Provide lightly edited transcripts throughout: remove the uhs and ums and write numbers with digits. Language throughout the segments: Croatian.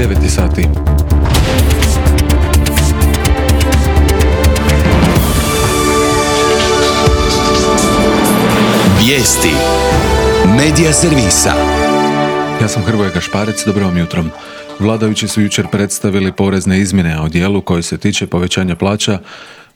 9 sati. Vijesti Medija servisa. Ja sam Hrvoje Gašparec, dobro vam jutro. Vladajući su jučer predstavili porezne izmjene, a o dijelu koji se tiče povećanja plaća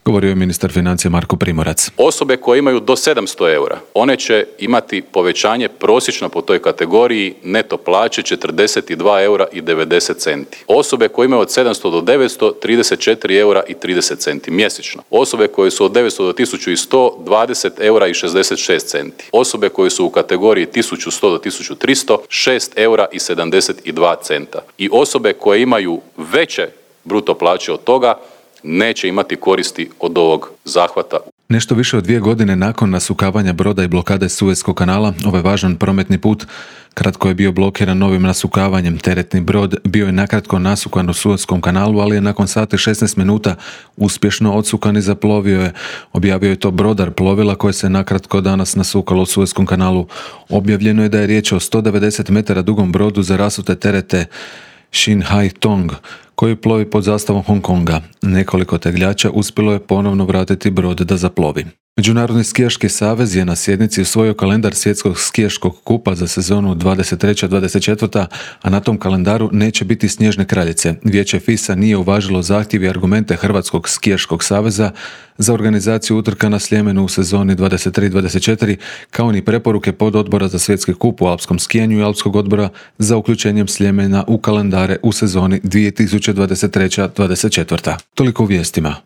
govorio je ministar financija Marko Primorac. Osobe koje imaju do 700 eura, one će imati povećanje prosječno po toj kategoriji neto plaće 42 eura i 90 centi. Osobe koje imaju od 700 do 900, 34 eura i 30 centi mjesečno. Osobe koje su od 900 do 1100, 20 eura i 66 centi. Osobe koje su u kategoriji 1100 do 1300, 6 eura i 72 centa. I osobe koje imaju veće bruto plaće od toga neće imati koristi od ovog zahvata. Nešto više od 2 godine nakon nasukavanja broda i blokade Suezkog kanala, ovaj važan prometni put kratko je bio blokiran novim nasukavanjem. Teretni brod bio je nakratko nasukan u Suezkom kanalu, ali je nakon sati 16 minuta uspješno odsukan i zaplovio je. Objavio je to brodar plovila koje se nakratko danas nasukalo u Suezkom kanalu. Objavljeno je da je riječ o 190 metara dugom brodu za rasute terete Shin Hai Tong, koji plovi pod zastavom Hong Konga. Nekoliko tegljača uspjelo je ponovno vratiti brod da zaplovi. Međunarodni skijaški savez je na sjednici usvojio kalendar svjetskog skijaškog kupa za sezonu 23-24, a na tom kalendaru neće biti snježne kraljice. Vijeće FIS-a nije uvažilo zahtjev i argumente Hrvatskog skijaškog saveza za organizaciju utrka na Sljemenu u sezoni 23-24, kao ni preporuke pododbora za svjetski kup u alpskom skijanju i alpskog odbora za uključenjem Sljemena u kalendare u sezoni 2023-24. Toliko u vijestima.